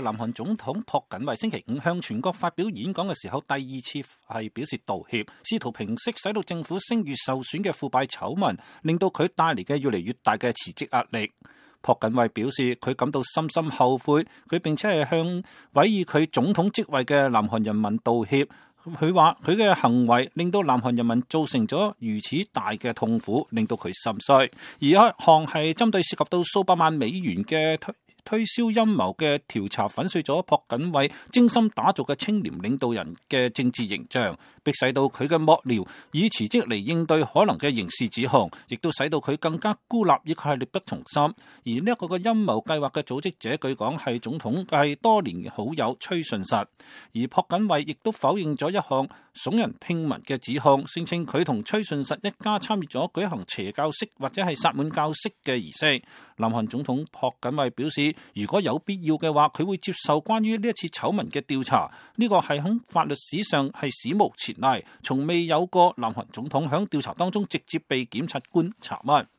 南韓總統朴槿惠星期五向全國發表演講嘅時候，第二次係表示道歉，試圖平息使到政府聲譽受損嘅腐敗醜聞，令到佢帶嚟嘅越嚟越大嘅辭職壓力。朴槿惠表示佢感到深深後悔，佢並且係向委以佢總統職位嘅南韓人民道歉。佢話佢嘅行為令到南韓人民造成咗如此大嘅痛苦，令到佢心碎。而一項係針對涉及到數百萬美元嘅推銷陰謀嘅調查，粉碎咗朴槿惠精心打造嘅清廉領導人嘅政治形象，迫使到佢嘅幕僚以辭職嚟應對可能嘅刑事指控，亦都使到佢更加孤立，亦係力不從心。而呢一個嘅陰謀計劃嘅組織者，據講係總統係多年嘅好友崔順實。而朴槿惠亦都否認咗一項聳人聽聞嘅指控，聲稱佢同崔順實一家參與咗舉行邪教式或者係薩滿教式嘅儀式。南韓總統朴槿惠表示，如果有必要嘅話，佢會接受關於呢一次醜聞嘅調查。呢個係喺法律史上係史無前例，從未有過南韓總統喺調查當中直接被檢察官查問。